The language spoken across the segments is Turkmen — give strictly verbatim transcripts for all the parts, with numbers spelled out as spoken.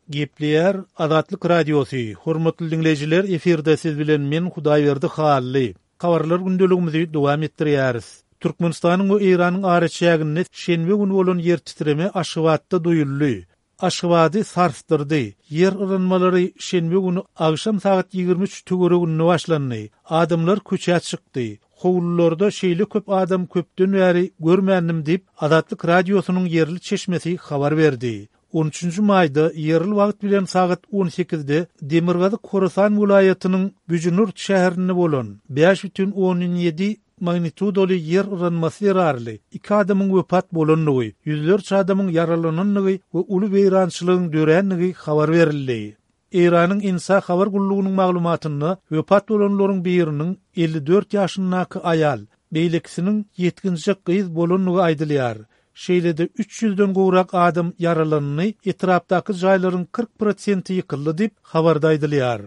Gepleýär Azatlyk Radiosy, Hormatly diňleýjiler, efirde siz bilen men Hudaýberdi Hally. Habarlar gündeligimizi dowam etdirýäris. Türkmenistanyň we Eýranyň araçäginde şenbe güni bolan ýer titreme Aşgabatda duýuldy. Aşgabady sarsdyrdy. Ýer yranmalary şenbe güni agşam sagat ýigrimi üç töwereginde başlandy. Adamlar köçä çykdy. Howlularda şeýle köp adam köpden bäri görmändim diýip, Azatlyk Radiosynyň ýerli çeşmesi habar berdi. On üçünji maýda ýerli wagt bilen sagat on sekizde Demirgazyk Horasan welaýatynyň Büjnürt şäherinde bolan bäş bütin ondan ýedi magnitudaly ýer yranmasy zerarly iki adamyň wepat bolandygy, ýüzlerçe adamyň ýaralanandygy we uly weýrançylygyň dörändigi habar berildi. Eýranyň INSA habar gullugynyň maglumatynda wepat bolanlaryň biriniň elli dört ýaşyndaky aýal, beýlekisiniň ýetginjek gyz bolandygy aýdylýar. Şeýle-de üç ýüzden gowrak adam ýaralandy, etrapdaky jaýlaryň kyrk prosenti ýykyldy diýip, habarda aýdylýar.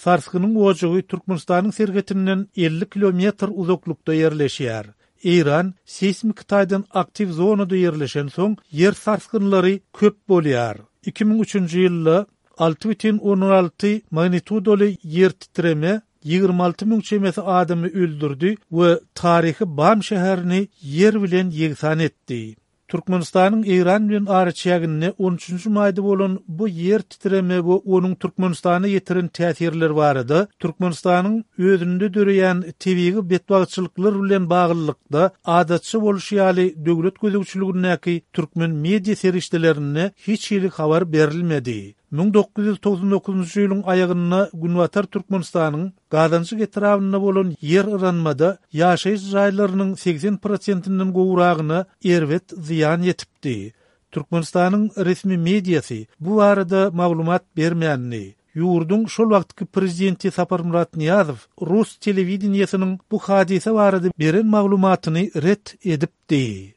Sarsgynyň ojagy Türkmenistanyň serhetinden elli kilometr uzaklykda ýerleşýär. Eýran seýsmiki taýdan aktiw zonada ýerleşensoň, ýer sarsgynlary köp bolýar. Iki müň üçünji ýylda alty bütin ondan alty magnitudaly ýer titreme ýigrimi alty müň çemesi adamy öldürdi we taryhy Bam şäherini ýer bilen ýegsan etdi. Türkmenistanyň Eýran bilen araçäginde on üçünji maýda bolan bu ýer titreme we onuň Türkmenistana ýetiren täsirleri barada Türkmenistanyň özünde döreýän tebigy betbagtçylyklar bilen baglylykda adatça bolşy ýaly döwlet gözegçiligindäki türkmen media serişdelerinde hiç hili habar berilmedi. Müň dokuz ýüz togsan dokuzynjy ýylyň aýagynda Günbatar Türkmenistanyň Gazanjyk etrabynda bolan ýer yranmada ýaşaýyş jaýlarynyň segsen prosentinden gowragyna erbet zyýan ýetipdi. Türkmenistanyň resmi mediasy bu barada maglumat bermändi. Ýurduň şol wagtky prezidenti Saparmyrat Nyýazow rus telewideniýesiniň bu hadysa barada beren maglumatyny ret edipdi.